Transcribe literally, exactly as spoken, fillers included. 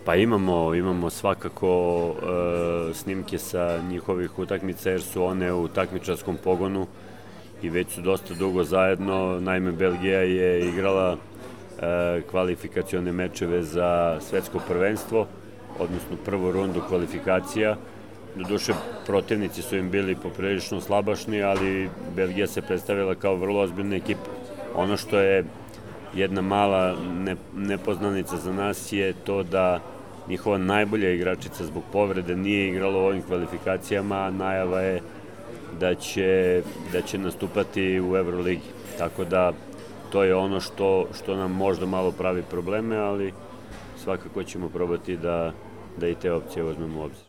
Pa imamo, imamo svakako e, snimke sa njihovih utakmica jer su one u takmičarskom pogonu i već su dosta dugo zajedno. Naime, Belgija je igrala e, kvalifikacione mečeve za svetsko prvenstvo, odnosno prvu rundu kvalifikacija. Doduše, protivnici su im bili poprilično slabašni, ali Belgija se predstavila kao vrlo ozbiljna ekipa. Ono što je jedna mala ne, nepoznanica za nas je to da njihova najbolja igračica zbog povrede nije igrala u ovim kvalifikacijama, a najava je da će, da će nastupati u Euroligi. Tako da to je ono što, što nam možda malo pravi probleme, ali svakako ćemo probati da, da i te opcije uzmemo u obzir.